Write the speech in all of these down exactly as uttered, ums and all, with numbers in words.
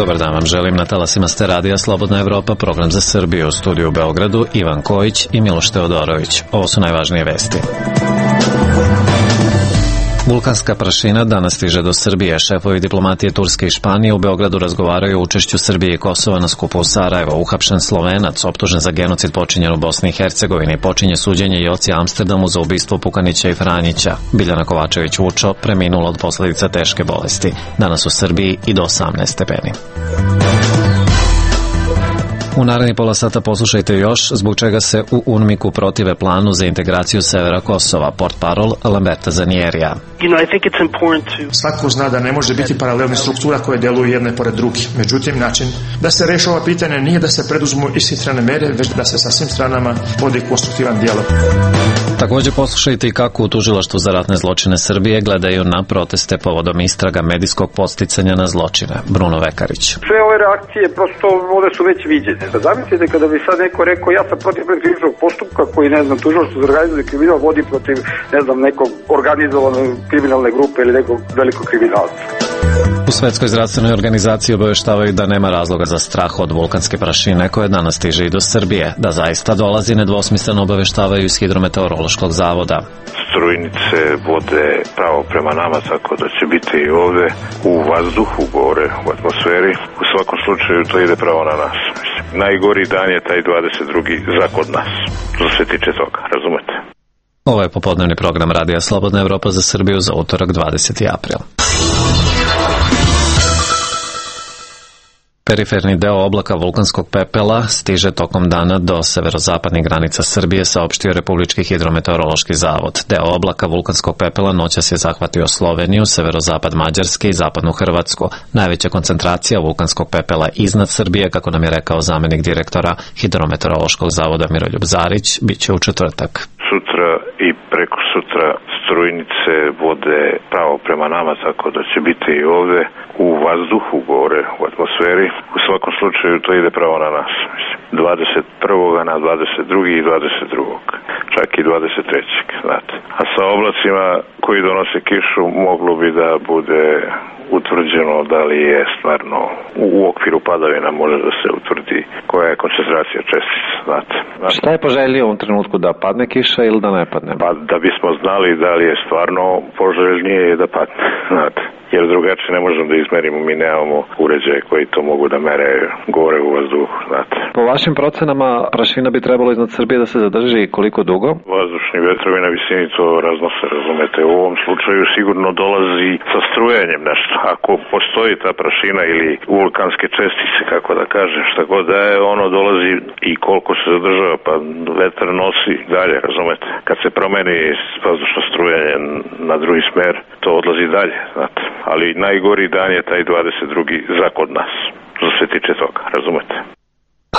Dobar dan vam želim, na talasima ste radija Slobodna Evropa, program za Srbiju, u studiju u Beogradu, Ivan Kojić i Miloš Teodorović. Ovo su najvažnije vesti. Vulkanska prašina danas stiže do Srbije. Šefovi diplomatije Turske i Španije u Beogradu razgovaraju o učešću Srbije i Kosova na skupu u Sarajevo. Uhapšen Slovenac, optužen za genocid počinjen u Bosni i Hercegovini, počinje suđenje Joci Amsterdamu za ubistvo Pukanića i Franjića. Biljana Kovačević-Vučo preminula od posledica teške bolesti. Danas u Srbiji i do osamnaest stepeni. U narednih pola sata poslušajte još zbog čega se u UNMIK-u protive planu za integraciju severa Kosova, portparol Lamberta Zanierija. Svako zna da ne može biti paralelnih struktura koje deluju jedne pored drugih. Međutim, način da se reši ova pitanja nije da se preduzmu ishitrene mere, već da se sa svim stranama vodi konstruktivan dijalog. Također poslušajte i kako u Tužilaštvu za ratne zločine Srbije gledaju na proteste povodom istraga medijskog podsticanja na zločine. Bruno Vekarić. Sve ove reakcije prosto ovde su već viđene. Da zamislite kada bi sad neko rekao ja sam protiv krivičnog postupka koji, ne znam, Tužilaštvo za organizovani kriminal vodi protiv, ne znam, nekog organizovanog kriminalne grupe ili nekog velikog kriminalca. U Svetskoj zdravstvenoj organizaciji obaveštavaju da nema razloga za strah od vulkanske prašine koje danas stiže i do Srbije. Da zaista dolazi, nedvosmisleno obaveštavaju iz Hidrometeorološkog zavoda. Strujnice vode pravo prema nama, tako da će biti i ovde u vazduhu, gore u atmosferi. U svakom slučaju to ide pravo na nas. Najgori dan je taj dvadeset drugi za kod nas. Što se tiče toga, razumete? Ovo je popodnevni program Radija Slobodna Evropa za Srbiju za utorak dvadeseti april. Periferni deo oblaka vulkanskog pepela stiže tokom dana do severozapadnih granica Srbije, saopštio Republički hidrometeorološki zavod. Deo oblaka vulkanskog pepela noćas je zahvatio Sloveniju, severozapad Mađarske i zapadnu Hrvatsku. Najveća koncentracija vulkanskog pepela iznad Srbije, kako nam je rekao zamenik direktora Hidrometeorološkog zavoda Miroljub Zarić, bit će u četvrtak. Sutra i preko sutra strujnice vode pravo prema nama, tako da će biti i ovde u vazduhu, gore u atmosferi. U svakom slučaju to ide pravo na nas. dvadeset prvog na dvadeset drugog i dvadeset drugog čak i dvadeset trećeg znate. A sa oblacima koji donose kišu moglo bi da bude utvrđeno da li je stvarno u okviru padavina, može da se utvrdi koja je koncentracija čestica, znate. znate. Šta je poželjnije u ovom trenutku, da padne kiša ili da ne padne? Pa da bismo znali da li je stvarno poželjnije je da padne, znate. Jer drugačije ne možemo da izmerimo, mi nemamo uređaje koji to mogu da mere gore u vazduhu, znate. Po vašim procenama prašina bi trebalo iznad Srbije da se zadrži koliko dugo? Vazdušni vetrovi na visini to raznose, razumete. U ovom slučaju sigurno dolazi sa strujenjem nešto. Ako postoji ta prašina ili vulkanske čestice, kako da kažem, šta god da je, ono dolazi i koliko se zadržava, pa vetar nosi dalje, razumete. Kad se promeni vazdušno strujanje na drugi smer, to odlazi dalje, znate. Ali najgori dan je taj dvadeset drugi za kod nas, što se tiče toga, razumete.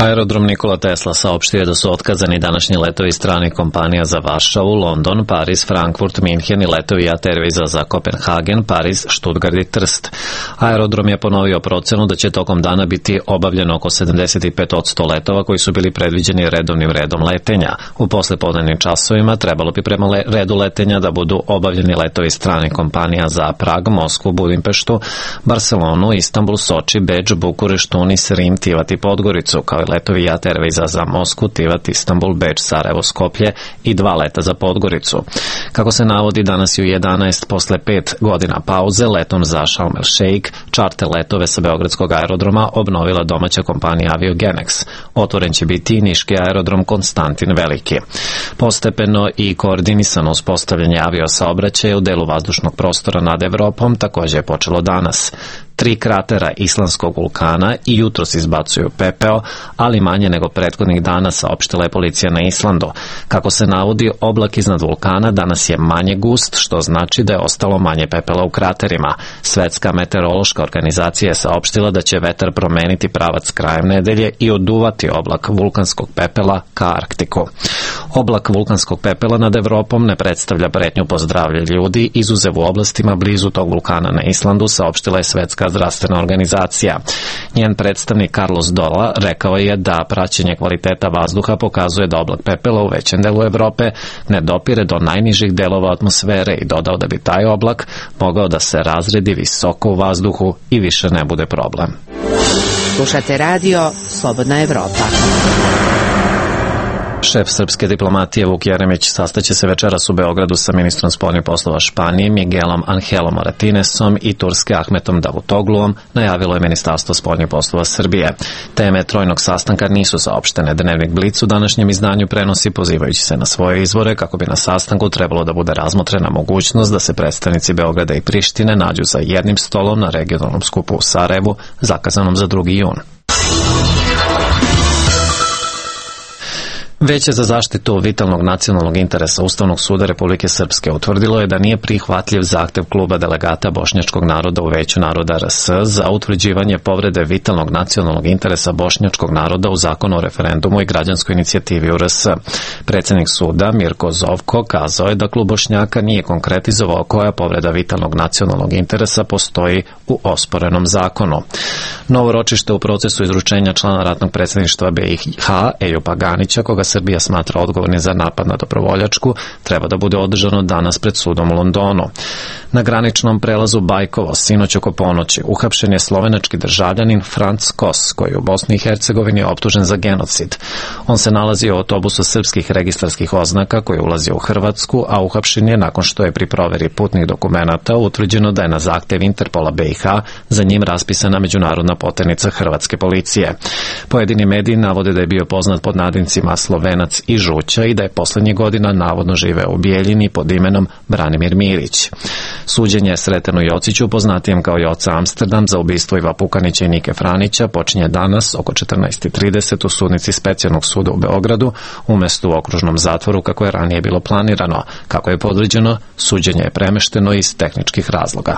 Aerodrom Nikola Tesla saopštio je da su otkazani današnji letovi stranih kompanija za Varšavu, London, Pariz, Frankfurt, Minhen i letovi J A T Airwaysa za Kopenhagen, Pariz, Stuttgart i Trst. Aerodrom je ponovio procenu da će tokom dana biti obavljeno oko sedamdeset pet posto letova koji su bili predviđeni redovnim redom letenja. U poslepodnevnim časovima trebalo bi prema redu letenja da budu obavljeni letovi stranih kompanija za Prag, Moskvu, Budimpeštu, Barcelonu, Istanbul, Soči, Beč, Bukurešt, Tunis, Rim, Tivat i Podgoricu, kao i letovi J A T Airwaysa za Moskvu, Tivat, Istanbul, Beč, Sarajevo, Skoplje i dva leta za Podgoricu. Kako se navodi, danas je u jedanaest posle pet godina pauze letom za Sharm el Sheikh čarter letove sa Beogradskog aerodroma obnovila domaća kompanija Aviogenex. Otvoren će biti i niški aerodrom Konstantin Veliki. Postepeno i koordinisano uspostavljanje aviosaobraćaja u delu vazdušnog prostora nad Evropom također je počelo danas. Tri kratera islandskog vulkana i jutros izbacuju pepeo, ali manje nego prethodnih dana, saopštila je policija na Islandu. Kako se navodi, oblak iznad vulkana danas je manje gust, što znači da je ostalo manje pepela u kraterima. Svetska meteorološka organizacija je saopštila da će vetar promeniti pravac krajem nedelje i oduvati oblak vulkanskog pepela ka Arktiku. Oblak vulkanskog pepela nad Evropom ne predstavlja pretnju po zdravlje ljudi, izuzev u oblastima blizu tog vulkana na Islandu, saopštila je Svetska zdravstvena organizacija. Njen predstavnik Carlos Dola rekao je da praćenje kvaliteta vazduha pokazuje da oblak pepela u većem delu Evrope ne dopire do najnižih delova atmosfere i dodao da bi taj oblak mogao da se razredi visoko u vazduhu i više ne bude problem. Slušate radio Slobodna Evropa. Šef srpske diplomatije Vuk Jeremić sastaće se večeras u Beogradu sa ministrom spoljnih poslova Španije Miguelom Angelom Martinesom i Turske Ahmetom Davutogluom, najavilo je Ministarstvo spoljnih poslova Srbije. Teme trojnog sastanka nisu saopštene. Dnevnik Blic u današnjem izdanju prenosi pozivajući se na svoje izvore kako bi na sastanku trebalo da bude razmotrena mogućnost da se predstavnici Beograda i Prištine nađu za jednim stolom na regionalnom skupu u Sarajevu, zakazanom za drugi jun. Veće za zaštitu vitalnog nacionalnog interesa Ustavnog suda Republike Srpske utvrdilo je da nije prihvatljiv zahtev kluba delegata bošnjačkog naroda u Veću naroda R S za utvrđivanje povrede vitalnog nacionalnog interesa bošnjačkog naroda u Zakonu o referendumu i građanskoj inicijativi u R S. Predsednik suda Mirko Zovko kazao je da klub Bošnjaka nije konkretizovao koja povreda vitalnog nacionalnog interesa postoji u osporenom zakonu. Novo ročište u procesu izručenja člana ratnog predsedništva B i H Ejupa Ganića, koga Srbija smatra odgovorni za napad na Dobrovoljačku, treba da bude održano danas pred sudom u Londonu. Na graničnom prelazu Bajkovo sinoć oko ponoći uhapšen je slovenački državljanin Franc Kos, koji je u Bosni i Hercegovini optužen za genocid. On se nalazi u autobusu srpskih registarskih oznaka koji ulazi u Hrvatsku, a uhapšen je nakon što je pri proveri putnih dokumenata utvrđeno da je na zahtev Interpola B i H za njim raspisana međunarodna poternica hrvatske policije. Pojedini mediji navode da je bio poznat pod nadincima Slovenac i Žuća i da je poslednjih godina navodno živeo u Bijeljini pod imenom Branimir Mirić. Suđenje je Sretenu Jociću, poznatijem kao Joca Amsterdam, za ubistvo Iva Pukanića i Nike Franića, počinje danas oko četrnaest i trideset u sudnici Specijalnog suda u Beogradu, umesto u okružnom zatvoru kako je ranije bilo planirano. Kako je podređeno, suđenje je premešteno iz tehničkih razloga.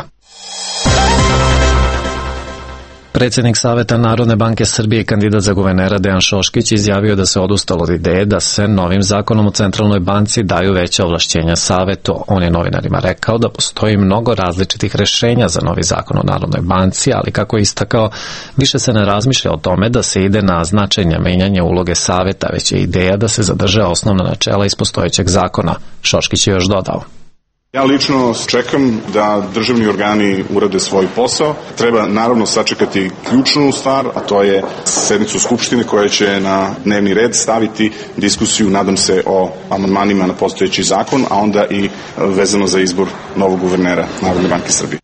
Predsednik Saveta Narodne banke Srbije i kandidat za guvernera Dejan Šoškić izjavio da se odustalo od ideje da se novim zakonom o centralnoj banci daju veća ovlašćenja Savetu. On je novinarima rekao da postoji mnogo različitih rešenja za novi zakon o Narodnoj banci, ali kako je istakao, više se ne razmišlja o tome da se ide na značajnja menjanja uloge Saveta, već je ideja da se zadrže osnovna načela iz postojećeg zakona. Šoškić je još dodao: Ja lično čekam da državni organi urade svoj posao. Treba naravno sačekati ključnu stvar, a to je sednicu Skupštine koja će na dnevni red staviti diskusiju, nadam se, o amandmanima na postojeći zakon, a onda i vezano za izbor novog guvernera Narodne banke Srbije.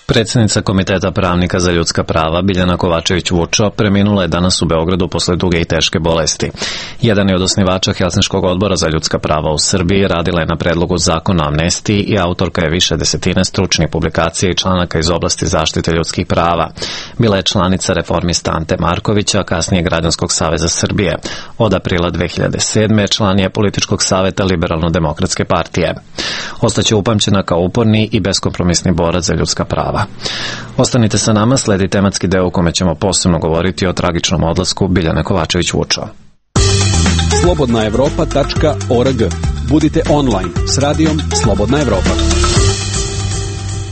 Predsednica Komiteta pravnika za ljudska prava Biljana Kovačević-Vučo preminula je danas u Beogradu posle duge i teške bolesti. Jedan je od osnivača Helsinškog odbora za ljudska prava u Srbiji, radila je na predlogu zakona o amnestiji i autorka je više desetine stručnih publikacija i članaka iz oblasti zaštite ljudskih prava. Bila je članica reformista Ante Markovića, a kasnije Građanskog saveza Srbije. Od aprila dve hiljade sedme član je političkog saveta Liberalno-demokratske partije. Ostaće upamćena kao uporni i beskompromisni borac za ljudska prava. Ostanite sa nama, sledi tematski deo u kome ćemo posebno govoriti o tragičnom odlasku Biljane Kovačević-Vučo. slobodna evropa tačka org. Budite online s radijom Slobodna Evropa.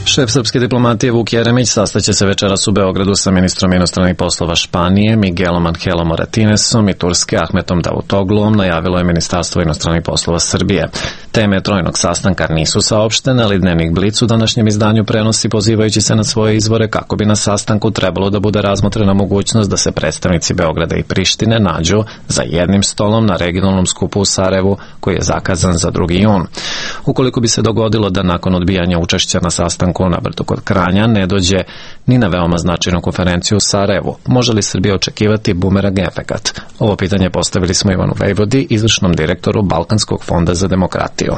Šef srpske diplomatije Vuk Jeremić sastaće se večeras u Beogradu sa ministrom inostranih poslova Španije Miguelom Angelom Martinesom i Turske Ahmetom Davutogluom, najavilo je Ministarstvo inostranih poslova Srbije. Teme trojnog sastanka nisu saopštene, ali Dnevnik Blic u današnjem izdanju prenosi pozivajući se na svoje izvore kako bi na sastanku trebalo da bude razmotrena mogućnost da se predstavnici Beograda i Prištine nađu za jednim stolom na regionalnom skupu u Sarajevu koji je zakazan za drugi jun. Ukoliko bi se dogodilo da nakon odbijanja učešća na sastanku na Brdu kod Kranja ne dođe ni na veoma značajnu konferenciju u Sarajevu, može li Srbija očekivati bumerang efekat? Ovo pitanje postavili smo Ivanu Vejvodi, izvršnom direktoru Balkanskog fonda za demokratiju.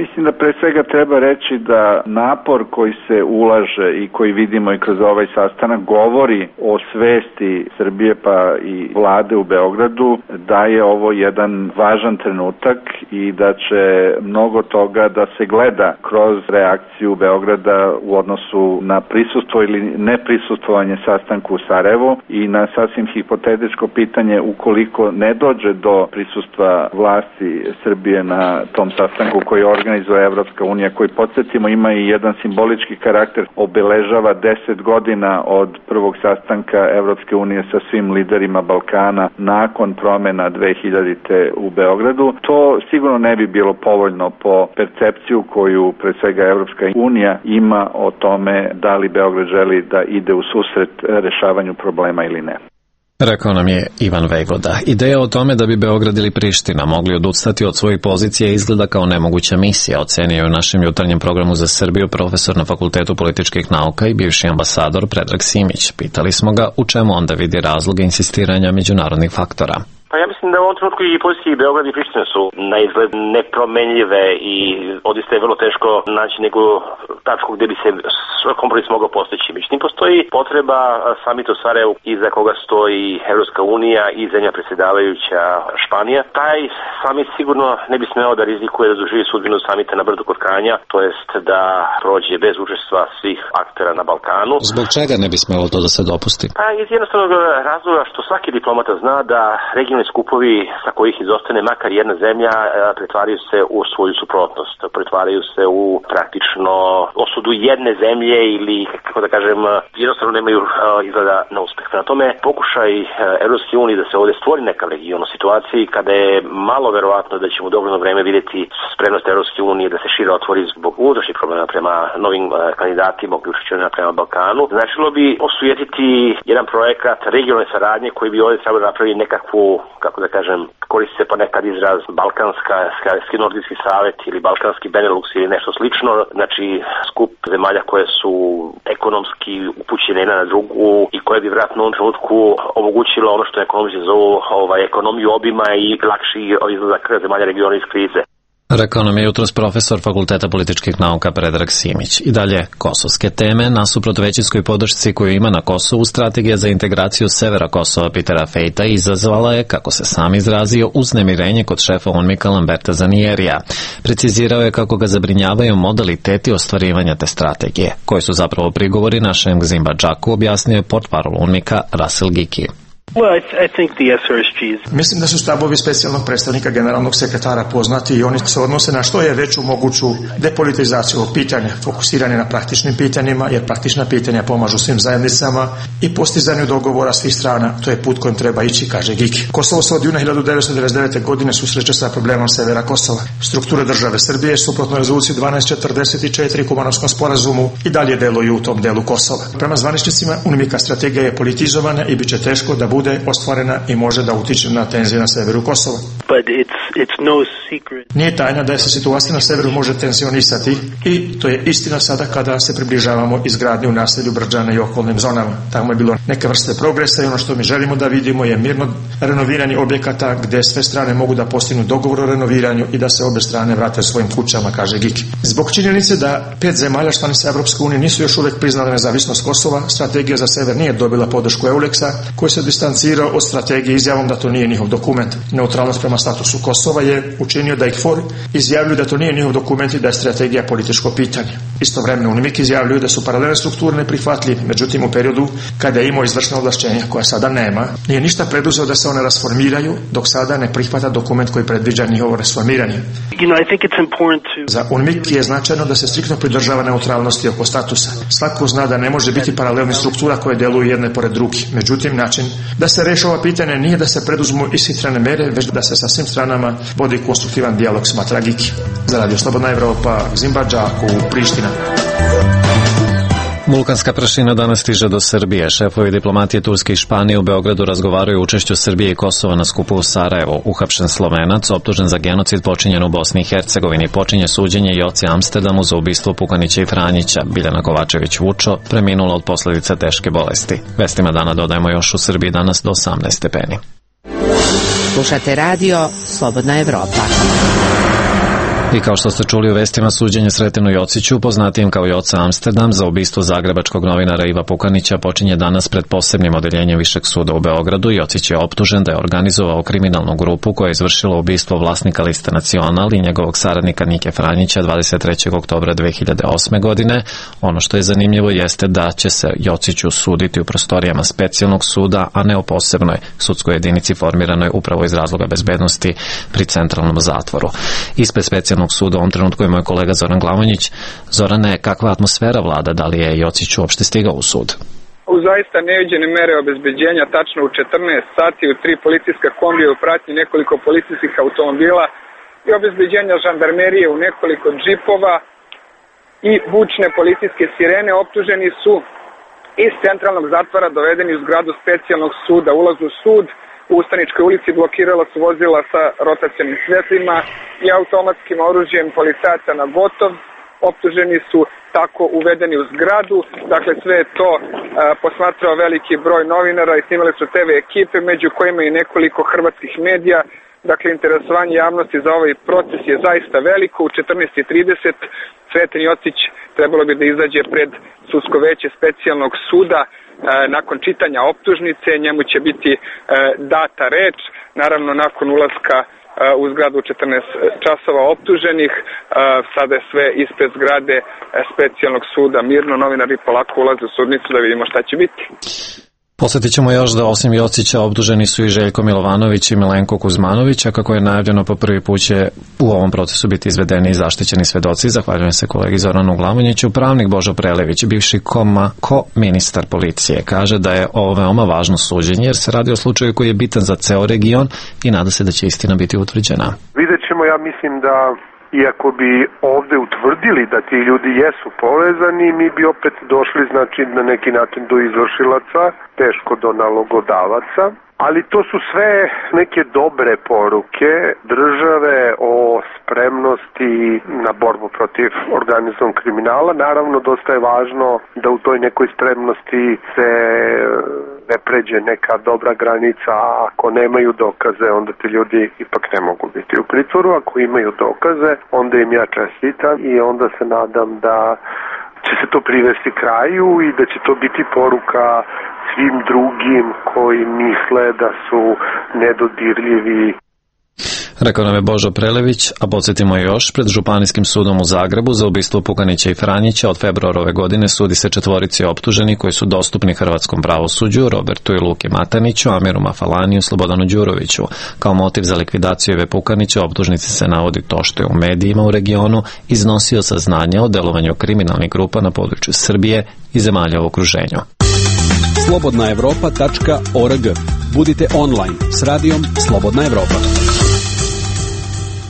Mislim da pre svega treba reći da napor koji se ulaže i koji vidimo i kroz ovaj sastanak govori o svesti Srbije pa i vlade u Beogradu da je ovo jedan važan trenutak i da će mnogo toga da se gleda kroz reakciju Beograda u odnosu na prisustvo ili neprisustvovanje sastanku u Sarajevu i na sasvim hipotetičko pitanje ukoliko ne dođe do prisustva vlasti Srbije na tom sastanku koji je organizovan organizuje Evropska unija, koji, podsjetimo, ima i jedan simbolički karakter, obeležava deset godina od prvog sastanka Evropske unije sa svim liderima Balkana nakon promena dve hiljadite u Beogradu. To sigurno ne bi bilo povoljno po percepciju koju pre svega Evropska unija ima o tome da li Beograd želi da ide u susret rešavanju problema ili ne. Rekao nam je Ivan Vejvoda. Ideja o tome da bi Beograd ili Priština mogli odustati od svojih pozicija izgleda kao nemoguća misija, ocenio je u našem jutarnjem programu za Srbiju profesor na Fakultetu političkih nauka i bivši ambasador Predrag Simić. Pitali smo ga u čemu onda vidi razloge insistiranja međunarodnih faktora. Pa ja mislim da u ovom trenutku i pozicije i Beograd i Priština su na izgled nepromenljive i odista je vrlo teško naći neku tačku gdje bi se kompromis mogao postići. Međutim, postoji potreba samita u Sarajevu iza koga stoji Evropska unija i zemlja predsjedavajuća Španija. Taj samit sigurno ne bi smeo da rizikuje da doživi sudbinu samita na brdu kod Kranja, to jest da prođe bez učestva svih aktera na Balkanu. Zbog čega ne bi smelo to da se dopusti? Pa iz jednostavnog razloga što svaki diplomata zna da regionalni skupovi sa kojih izostane makar jedna zemlja pretvaraju se u svoju suprotnost, pretvaraju se u praktično osudu jedne zemlje ili, kako da kažem, jednostavno nemaju izgleda na uspeh. Na tome pokušaj Evropske unije da se ovdje stvori neka region u situaciji kada je malo verovatno da ćemo u dogledno vreme vidjeti spremnost Evropske unije da se šire otvori zbog unutrašnjih problema prema novim kandidatima, uključujući prema Balkanu. Značilo bi osujetiti jedan projekat regionalne saradnje koji bi ovdje trebalo napraviti nekakvu, kako da kažem, koristi se ponekad izraz balkanska, skarski nordijski savjet ili balkanski Benelux ili nešto slično, znači skup zemalja koje su ekonomski upućene jedna na drugu i koje bi vjerojatno u ovom trenutku omogućilo ono što ekonomisti zovu ovaj, ekonomiju obima i lakši izlazak zemalja regiona iz krize. Rekao nam je jutros profesor Fakulteta političkih nauka Predrag Simić. I dalje, kosovske teme, nasuprot većinskoj podršci koju ima na Kosovu, strategija za integraciju severa Kosova Petera Fejta izazvala je, kako se sam izrazio, uznemirenje kod šefa UNMIK-a Lamberta Zanierija. Precizirao je kako ga zabrinjavaju modaliteti ostvarivanja te strategije, koji su zapravo prigovori našem Gzimba Džaku, objasnio je portparol UNMIK-a Russell Giki. Well, I, th- I think the S R S Gs... Mislim da su stavovi specijalnog predstavnika generalnog sekretara poznati i oni se odnose na što je veću moguću depolitizaciju pitanja, fokusiranje na praktičnim pitanjima, jer praktična pitanja pomažu svim zajednicama i postizanju dogovora svih strana. To je put kojim treba ići, kaže Giki. Kosovo se od juna hiljadu devetsto devedeset devete. godine susreće sa problemom severa Kosova. Strukture države Srbije, suprotno rezoluciji dvanaest četrdeset četiri Kumanovskom sporazumu, i dalje deluju u tom delu Kosova. Prema zvaničnicima, UNMIK-a strategija je politizovana i bit će teško da bude ostvarena i može da utiče na tenzije na severu Kosova. But it's, it's no secret. Nije tajna da se situacija na severu može tensionisati i to je istina sada kada se približavamo izgradnji u naselju Brđana i okolnim zonama. Tamo je bilo neke vrste progresa i ono što mi želimo da vidimo je mirno renoviranje objekata gde sve strane mogu da postignu dogovor o renoviranju i da se obe strane vrate svojim kućama, kaže Giki. Zbog činjenice da pet zemalja članica Evropske unije nisu još uvek priznale nezavisnost Kosova, strategija za sever nije dobila podršku Euleksa, koji se distancirao od strategije izjavom da to nije njihov dokument. Neutralnost prema statusu Kosova je učinio da ih for izjavljuju da to nije njihov dokument i da je strategija političko pitanje. Istovremeno UNMIK izjavljuju da su paralelne strukture neprihvatljive, međutim u periodu kada je imao izvršna ovlašćenja koja sada nema, nije ništa preduzeo da se one rasformiraju, dok sada ne prihvata dokument koji predviđa njihovo rasformiranje. You know, I think it's important to... Za UNMIK je značajno da se striktno pridržava neutralnosti oko statusa. Svako zna da ne može biti paralelnih struktura koje deluju jedne pored drugih. Međutim, način da se reši ova pitanja nije da se preduzmu ishitrene mere, već da se sa svim stranama vodi konstruktivan dijalog, smatra Giki. Za Radio Slobodna Evropa, Gzimba Džaku, Priština. Vulkanska prašina danas stiže do Srbije. Šefovi diplomatije Turske i Španije u Beogradu razgovaraju o učešću Srbije i Kosova na skupu u Sarajevu. Uhapšen Slovenac, optužen za genocid počinjen u Bosni i Hercegovini, počinje suđenje Joci Amsterdamu za ubistvo Pukanića i Franjića. Biljana Kovačević Vučo preminula od posljedica teške bolesti. Vestima dana dodajemo još u Srbiji danas do osamnaest stepeni. Slušate radio Slobodna Evropa. I kao što ste čuli u vestima, suđenje Sretenu Jociću, poznatijem kao Joca Amsterdam, za ubistvo zagrebačkog novinara Iva Pukanića počinje danas pred posebnim odeljenjem Višeg suda u Beogradu. Jocić je optužen da je organizovao kriminalnu grupu koja je izvršila ubistvo vlasnika Liste Nacional i njegovog saradnika Nike Franjića dvadeset trećeg oktobra dve hiljade osme. godine. Ono što je zanimljivo jeste da će se Jociću suditi u prostorijama specijalnog suda, a ne u posebnoj sudskoj jedinici formiranoj upravo iz razloga bezbednosti pri centralnom zatvoru. Ispred specijalnog specijalnog suda u ovom trenutku je moj kolega Zoran Glavonjić. Zorane, kakva atmosfera vlada, da li je Jocić uopšte stigao u sud? U zaista neviđene mere obezbeđenja, tačno u četrnaest sati u tri policijska kombija u pratnji nekoliko policijskih automobila i obezbeđenja žandarmerije u nekoliko džipova i bučne policijske sirene. Optuženi su iz centralnog zatvora dovedeni u zgradu specijalnog suda. Ulaz u sud u Ustaničkoj ulici blokirala su vozila sa rotacionim svetlima i automatskim oružjem policajaca na gotov. Optuženi su tako uvedeni u zgradu. Dakle, sve je to a, posmatrao veliki broj novinara i snimali su te ve ekipe, među kojima i nekoliko hrvatskih medija. Dakle, interesovanje javnosti za ovaj proces je zaista veliko. U četrnaest i trideset Sreten Jocić trebalo bi da izađe pred sudsko veće specijalnog suda. E, nakon čitanja optužnice njemu će biti e, data reč. Naravno, nakon ulaska e, u zgradu četrnaest časova optuženih, e, sada je sve ispred zgrade e, specijalnog suda mirno. Novinari polako ulaze u sudnicu da vidimo šta će biti. Posjetit ćemo još da osim Jocića optuženi su i Željko Milovanović i Milenko Kuzmanović, a kako je najavljeno po prvi put će u ovom procesu biti izvedeni i zaštićeni svedoci. Zahvaljujem se kolegi Zoranu Glavonjiću. Pravnik Božo Prelević, bivši koma, ko ministar policije, kaže da je ovo veoma važno suđenje jer se radi o slučaju koji je bitan za ceo region i nada se da će istina biti utvrđena. Vidjet ćemo, ja mislim da iako bi ovde utvrdili da ti ljudi jesu povezani, mi bi opet došli, znači, na neki način do izvršilaca, teško do nalogodavaca, ali to su sve neke dobre poruke države o spremnosti na borbu protiv organizovanog kriminala. Naravno, dosta je važno da u toj nekoj spremnosti se ne pređe neka dobra granica, a ako nemaju dokaze, onda ti ljudi ipak ne mogu biti u pritvoru. Ako imaju dokaze, onda im ja čestitam i onda se nadam da će se to privesti kraju i da će to biti poruka svim drugim koji misle da su nedodirljivi. Rekao nam je Božo Prelević, a podsjetimo još, pred Županijskim sudom u Zagrebu za ubistvo Pukanića i Franjića od februara ove godine sudi se četvorici optuženi koji su dostupni hrvatskom pravosuđu, Robertu i Luki Mataniću, Amiru Mafalaniju, Slobodanu Đuroviću. Kao motiv za likvidaciju Ive Pukanića optužnici se navodi to što je u medijima u regionu iznosio saznanja o delovanju kriminalnih grupa na području Srbije i zemalja u okruženju. slobodna evropa tačka org. Budite online s radijom Slobodna Evropa.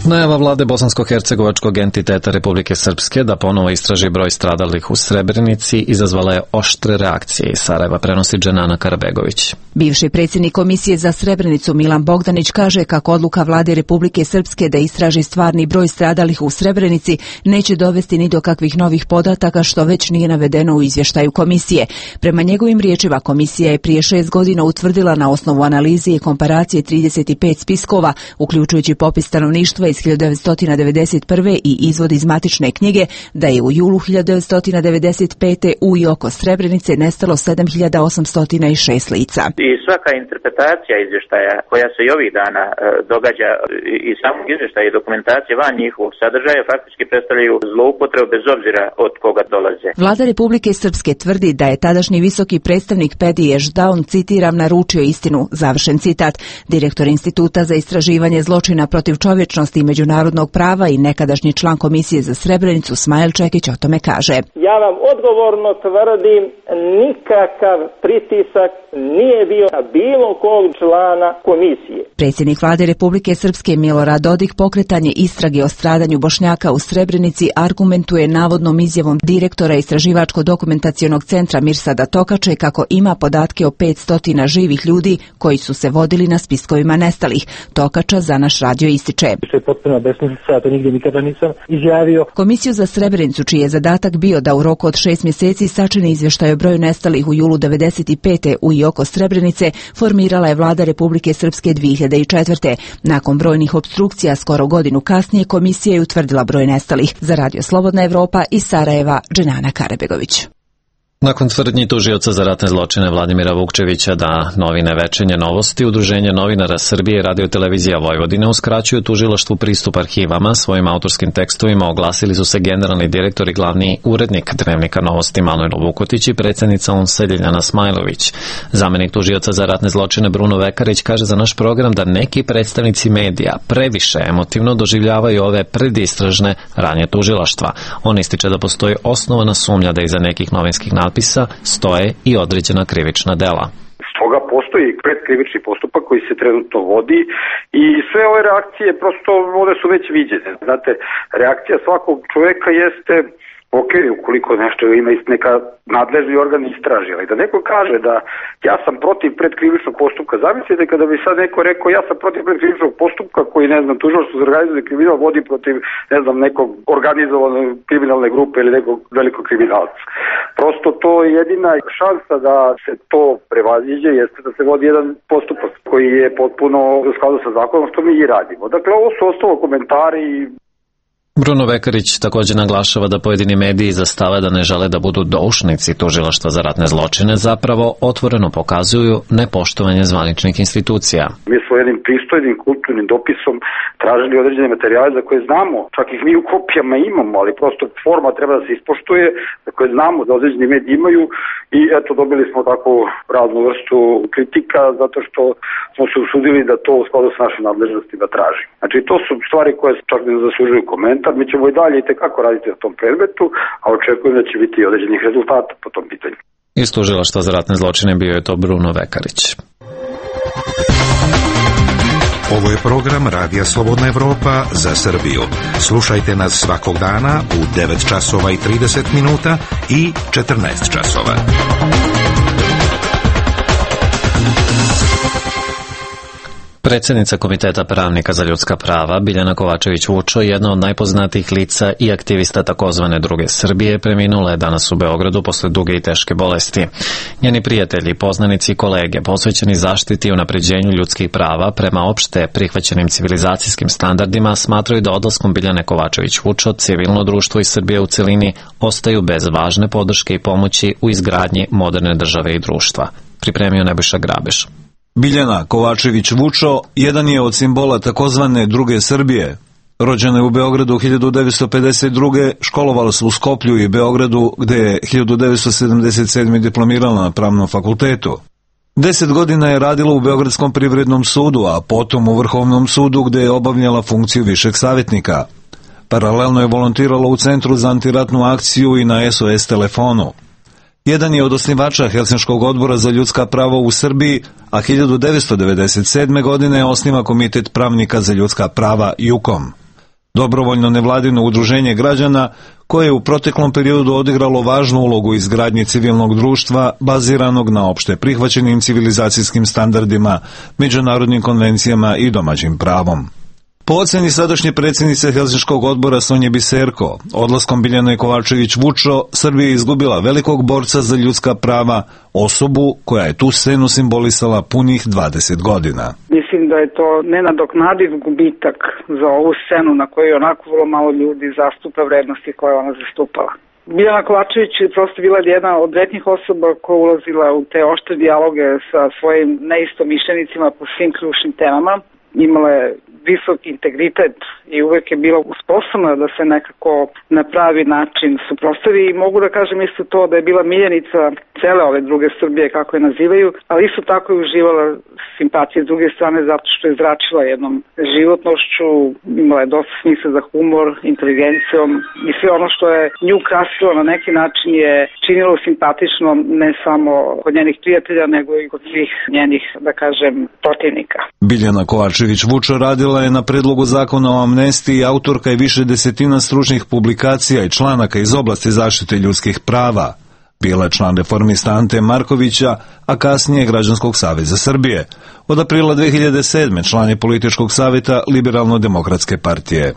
Najava vlade bosansko-hercegovačkog entiteta Republike Srpske da ponovo istraži broj stradalih u Srebrenici izazvala je oštre reakcije. Iz Sarajeva prenosi Dženana Karabegović. Bivši predsjednik Komisije za Srebrenicu Milan Bogdanić kaže kako odluka vlade Republike Srpske da istraži stvarni broj stradalih u Srebrenici neće dovesti ni do kakvih novih podataka, što već nije navedeno u izvještaju komisije. Prema njegovim riječima, komisija je prije šest godina utvrdila na osnovu analize i komparacije trideset pet spiskova, uključujući popis stanovništva iz hiljadu devetsto devedeset prve i izvod iz matične knjige, da je u julu hiljadu devetsto devedeset pete u i oko Srebrenice nestalo sedam hiljada osamsto šest lica. I svaka interpretacija izvještaja koja se i ovih dana e, događa i samog izvještaja i dokumentacije van njihovog sadržaja faktički predstavljaju zloupotrebu bez obzira od koga dolaze. Vlada Republike Srpske tvrdi da je tadašnji visoki predstavnik Pedi Ešdaun, citiram, naručio istinu, završen citat. Direktor Instituta za istraživanje zločina protiv čovječnosti i međunarodnog prava i nekadašnji član Komisije za Srebrenicu Smajl Čekić o tome kaže. Ja vam odgovorno tvrdim, nikakav pritisak nije bio na bilo kog člana komisije. Predsjednik vlade Republike Srpske Milorad Dodik pokretanje istrage o stradanju Bošnjaka u Srebrenici argumentuje navodnom izjavom direktora Istraživačko-dokumentacionog centra Mirsada Tokače kako ima podatke o petsto živih ljudi koji su se vodili na spiskovima nestalih. Tokača za naš radio ističe. To je potpuno besmislica, ja to nigdje nikada nisam izjavio. Komisiju za Srebrenicu, čiji je zadatak bio da u roku od šest mjeseci sačini izvještaj o broju nestalih u julu devedeset pete u i oko Srebrenice, formirala je vlada Republike Srpske dvije hiljade četvrte. Nakon brojnih opstrukcija skoro godinu kasnije komisija je utvrdila broj nestalih. Za radio Slobodna Evropa iz Sarajeva, Dženana Karabegović. Nakon tvrdnji tužioca za ratne zločine Vladimira Vukčevića da novine Večernje novosti, Udruženje novinara Srbije i Radio-televizija Vojvodine uskraćuju tužilaštvu pristup arhivama, svojim autorskim tekstovima oglasili su se generalni direktor i glavni urednik Dnevnika novosti Manojlo Vukotić i predsjednica ONS-a Ljiljana Smajlović. Zamenik tužioca za ratne zločine Bruno Vekarić kaže za naš program da neki predstavnici medija previše emotivno doživljavaju ove predistražne radnje tužilaštva. On ističe da postoji osnovana sumnja da iza nekih novinskih natpisa stoje i određena krivična dela. Stoga postoji predkrivični postupak koji se trenutno vodi i sve ove reakcije prosto one su već viđene. Znate, reakcija svakog čoveka jeste ok, ukoliko nešto ima neka nadležni organ istraži, ali da neko kaže da ja sam protiv predkrivičnog postupka, zamislite kada bi sad neko rekao ja sam protiv predkrivičnog postupka koji, ne znam, tužilaštvo za organizovani kriminal vodi protiv, ne znam, nekog organizovane kriminalne grupe ili nekog velikog kriminalca. Prosto to je jedina šansa da se to prevaziđe, jeste da se vodi jedan postupak koji je potpuno u skladu sa zakonom, što mi i radimo. Dakle, ovo su ostalo komentari. Bruno Vekarić također naglašava da pojedini mediji zastave da ne žele da budu doušnici tužilaštva za ratne zločine, zapravo otvoreno pokazuju nepoštovanje zvaničnih institucija. Mi smo jednim pristojnim kulturnim dopisom tražili određene materijale za koje znamo, čak ih mi u kopijama imamo, ali prosto forma treba da se ispoštuje, za koje znamo da određeni mediji imaju i eto dobili smo tako raznu vrstu kritika zato što smo se usudili da to u skladu s našim nadležnostima tražimo. Znači to su stvari koje čak ne zaslužuju komentar. Mi ćemo i dalje i tekako raditi na tom predmetu, a očekujem da će biti određenih rezultata po tom pitanju. Iz tužilaštva za ratne zločine bio je to Bruno Vekarić. Ovo je program Radija Slobodna Evropa za Srbiju. Slušajte nas svakog dana u devet časova i trideset minuta i četrnaest časova. Predsjednica Komiteta pravnika za ljudska prava Biljana Kovačević-Vučo, jedna od najpoznatijih lica i aktivista takozvane druge Srbije, preminula je danas u Beogradu posle duge i teške bolesti. Njeni prijatelji, poznanici i kolege posvećeni zaštiti i unapređenju ljudskih prava prema opšte prihvaćenim civilizacijskim standardima smatraju da odlaskom Biljane Kovačević-Vučo civilno društvo i Srbije u celini ostaju bez važne podrške i pomoći u izgradnji moderne države i društva. Pripremio Nebojša Grabeš. Biljana Kovačević-Vučo jedan je od simbola takozvane druge Srbije. Rođena je u Beogradu hiljadu devetsto pedeset druge. Školovala se u Skoplju i Beogradu, gde je hiljadu devetsto sedamdeset sedme diplomirala na Pravnom fakultetu. Deset godina je radila u Beogradskom privrednom sudu, a potom u Vrhovnom sudu, gde je obavljala funkciju višeg savjetnika. Paralelno je volontirala u Centru za antiratnu akciju i na S O S telefonu. Jedan je od osnivača Helsinškog odbora za ljudska prava u Srbiji, a hiljadu devetsto devedeset sedme godine osniva Komitet pravnika za ljudska prava JUKOM. Dobrovoljno nevladino udruženje građana koje je u proteklom periodu odigralo važnu ulogu u izgradnji civilnog društva baziranog na opšte prihvaćenim civilizacijskim standardima, međunarodnim konvencijama i domaćim pravom. Po oceni sadašnje predsjednice Helsinškog odbora Sonje Biserko, odlaskom Biljane Kovačević-Vučo, Srbija je izgubila velikog borca za ljudska prava, osobu koja je tu scenu simbolisala punih dvadeset godina. Mislim da je to nenadoknadiv gubitak za ovu scenu na kojoj onako vrlo malo ljudi zastupa vrednosti koje ona zastupala. Biljana Kovačević je prosto bila jedna od retnih osoba koja ulazila u te oštre dijaloge sa svojim neistomišljenicima po svim ključnim temama. Imala je visok integritet i uvek je bila sposobna da se nekako na pravi način suprotstavi i mogu da kažem isto to da je bila miljenica cele ove druge Srbije, kako je nazivaju, ali isto tako je uživala simpatije s druge strane zato što je zračila jednom životnošću, imala je dosta smisla za humor, inteligencijom i sve ono što je nju krasilo na neki način je činilo simpatično ne samo kod njenih prijatelja nego i kod svih njenih, da kažem, protivnika. Biljana Kovačević-Vučo radila je na predlogu zakona o amnestiji, autorka je više desetina stručnih publikacija i članaka iz oblasti zaštite ljudskih prava. Bila je član reformista Ante Markovića, a kasnije Građanskog saveza Srbije. Od aprila dve hiljade sedme član je političkog savjeta Liberalno-demokratske partije.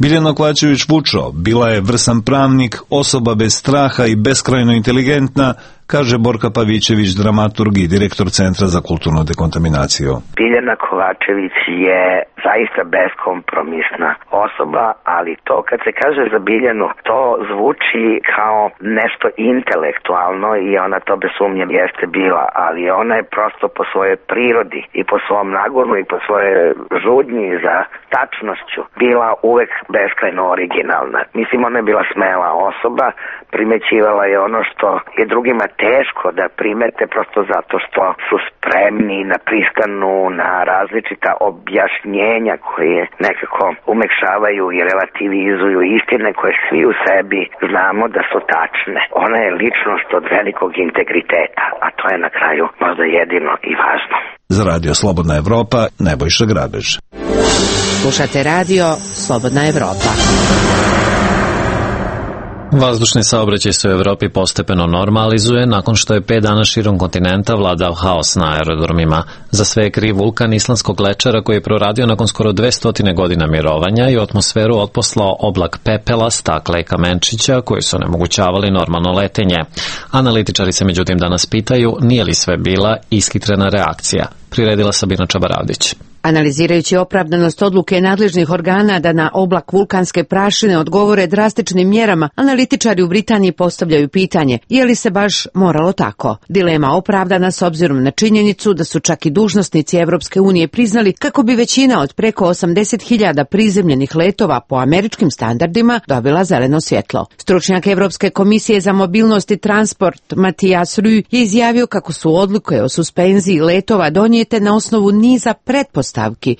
Biljana Kovačević-Vučo bila je vrsan pravnik, osoba bez straha i beskrajno inteligentna, kaže Borka Pavićević, dramaturg i direktor Centra za kulturnu dekontaminaciju. Biljana Kovačević je zaista beskompromisna osoba, ali to kad se kaže za Biljanu, to zvuči kao nešto intelektualno i ona to bez sumnje jeste bila, ali ona je prosto po svojoj prirodi i po svom nagonu i po svojoj žudnji za tačnošću bila uvek beskrajno originalna. Mislim, ona je bila smela osoba, primećivala je ono što je drugima teško da primete, prosto zato što su spremni na priskanu, na različita objašnjenja koje nekako umekšavaju i relativizuju istine koje svi u sebi znamo da su tačne. Ona je ličnost od velikog integriteta, a to je na kraju možda jedino i važno. Za Radio Slobodna Evropa, Nebojša Grabež. Slušate radio Slobodna Evropa. Vazdušni saobraćaj se u Evropi postepeno normalizuje nakon što je pet dana širom kontinenta vladao haos na aerodromima. Za sve je kriv vulkan islandskog lečara koji je proradio nakon skoro dvesta godina mirovanja i u atmosferu otposlao oblak pepela, stakla i kamenčića koji su onemogućavali normalno letenje. Analitičari se međutim danas pitaju nije li sve bila ishitrena reakcija. Priredila Sabina Čabaravdić. Analizirajući opravdanost odluke nadležnih organa da na oblak vulkanske prašine odgovore drastičnim mjerama, analitičari u Britaniji postavljaju pitanje je li se baš moralo tako. Dilema opravdana s obzirom na činjenicu da su čak i dužnosnici Evropske unije priznali kako bi većina od preko osamdeset hiljada prizemljenih letova po američkim standardima dobila zeleno svjetlo. Stručnjak Evropske komisije za mobilnost i transport Matijas Rü je izjavio kako su odluke o suspenziji letova donijete na osnovu niza pretpostavki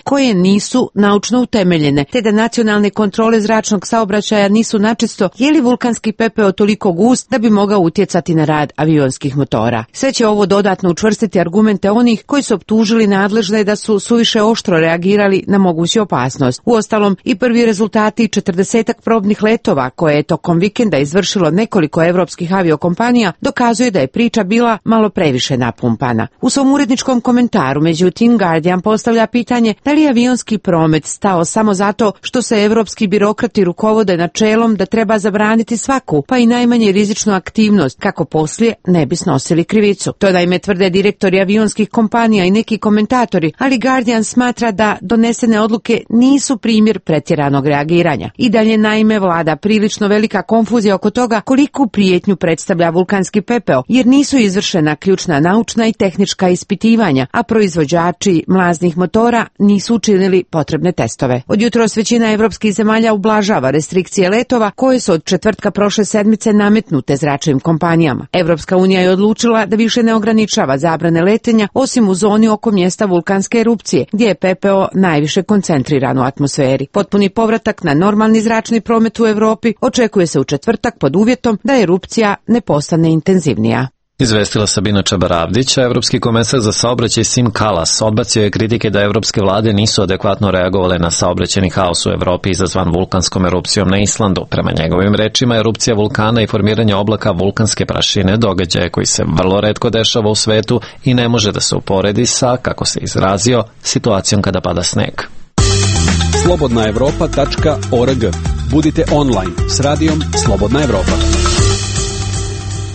koje nisu naučno utemeljene, te da nacionalne kontrole zračnog saobraćaja nisu načisto je li vulkanski pepeo toliko gust da bi mogao utjecati na rad avionskih motora. Sve će ovo dodatno učvrstiti argumente onih koji su optužili nadležne da su suviše oštro reagirali na moguću opasnost. Uostalom, i prvi rezultati četrdesetak probnih letova koje je tokom vikenda izvršilo nekoliko evropskih aviokompanija dokazuje da je priča bila malo previše napumpana. U svom uredničkom komentaru, međutim, Guardian postavlja pitanje da li je avionski promet stao samo zato što se evropski birokrati rukovode načelom da treba zabraniti svaku, pa i najmanje rizičnu aktivnost, kako poslije ne bi snosili krivicu. To naime tvrde direktori avionskih kompanija i neki komentatori, ali Guardian smatra da donesene odluke nisu primjer pretjeranog reagiranja. I dalje naime vlada prilično velika konfuzija oko toga koliku prijetnju predstavlja vulkanski pepeo, jer nisu izvršena ključna naučna i tehnička ispitivanja, a proizvođači mlaznih motora nisu učinili potrebne testove. Od jutros većina evropskih zemalja ublažava restrikcije letova koje su od četvrtka prošle sedmice nametnute zračnim kompanijama. Evropska unija je odlučila da više ne ograničava zabrane letenja osim u zoni oko mjesta vulkanske erupcije, gdje je pepeo najviše koncentriran u atmosferi. Potpuni povratak na normalni zračni promet u Evropi očekuje se u četvrtak pod uvjetom da erupcija ne postane intenzivnija. Izvestila Sabina Čabaravdić, a Evropski komesar za saobraćaj Sim Kalas odbacio je kritike da evropske vlade nisu adekvatno reagovale na saobraćajni haos u Evropi izazvan vulkanskom erupcijom na Islandu. Prema njegovim rečima, erupcija vulkana i formiranje oblaka vulkanske prašine događaje koji se vrlo retko dešava u svetu i ne može da se uporedi sa, kako se izrazio, situacijom kada pada sneg. slobodna evropa tačka org. Budite online s radijom Slobodna Evropa.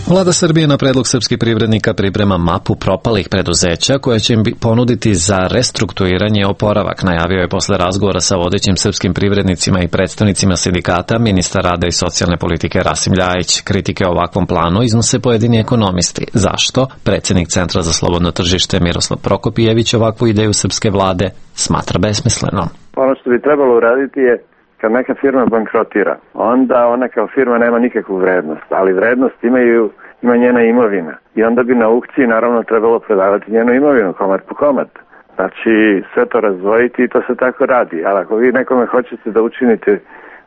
Vlada Srbije na predlog srpskih privrednika priprema mapu propalih preduzeća koja će im ponuditi za restrukturiranje i oporavak, najavio je posle razgovora sa vodećim srpskim privrednicima i predstavnicima sindikata ministar rada i socijalne politike Rasim Ljajić. Kritike o ovakvom planu iznose pojedini ekonomisti. Zašto? Predsjednik Centra za slobodno tržište Miroslav Prokopijević ovakvu ideju srpske vlade smatra besmislenom. Ono što bi trebalo uraditi je kad neka firma bankrotira, onda ona kao firma nema nikakvu vrednost, ali vrednost imaju, ima njena imovina. I onda bi na aukciji naravno trebalo prodavati njenu imovinu, komad po komad. Znači sve to razdvojiti i to se tako radi. Ali ako vi nekome hoćete da učinite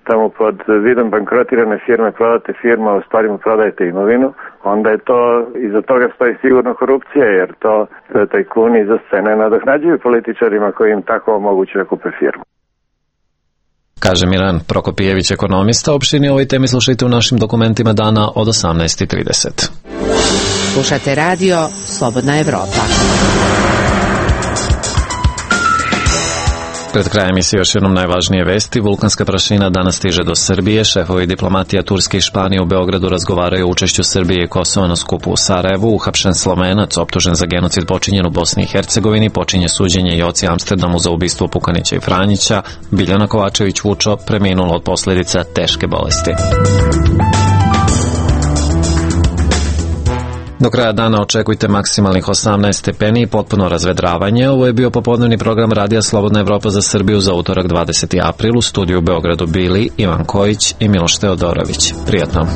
tamo pod vidom bankrotirane firme, prodate firmu, a u stvari mu prodajete imovinu, onda je to, iza toga stoji sigurno korupcija, jer to tajkuni iza scene nadoknađuju političarima koji im tako omogućuju da kupe firmu. Kaže Miran Prokopijević, ekonomista. Opširnije o ovoj temi slušajte u našim dokumentima dana od osamnaest i trideset. Slušate radio Slobodna Evropa. Pred krajem emisije još jednom najvažnije vesti. Vulkanska prašina danas stiže do Srbije. Šefovi diplomatija Turske i Španije u Beogradu razgovaraju o učešću Srbije i Kosova na skupu u Sarajevu. Uhapšen Slovenac, optužen za genocid počinjen u Bosni i Hercegovini, počinje suđenje Joci Amsterdamu za ubistvo Pukanića i Franjića. Biljana Kovačević Vučo preminula od posljedica teške bolesti. Do kraja dana očekujte maksimalnih osamnaest stepeni i potpuno razvedravanje. Ovo je bio popodnevni program Radija Slobodna Evropa za Srbiju za utorak dvadeseti april. U studiju u Beogradu bili Ivan Kojić i Miloš Teodorović. Prijatno.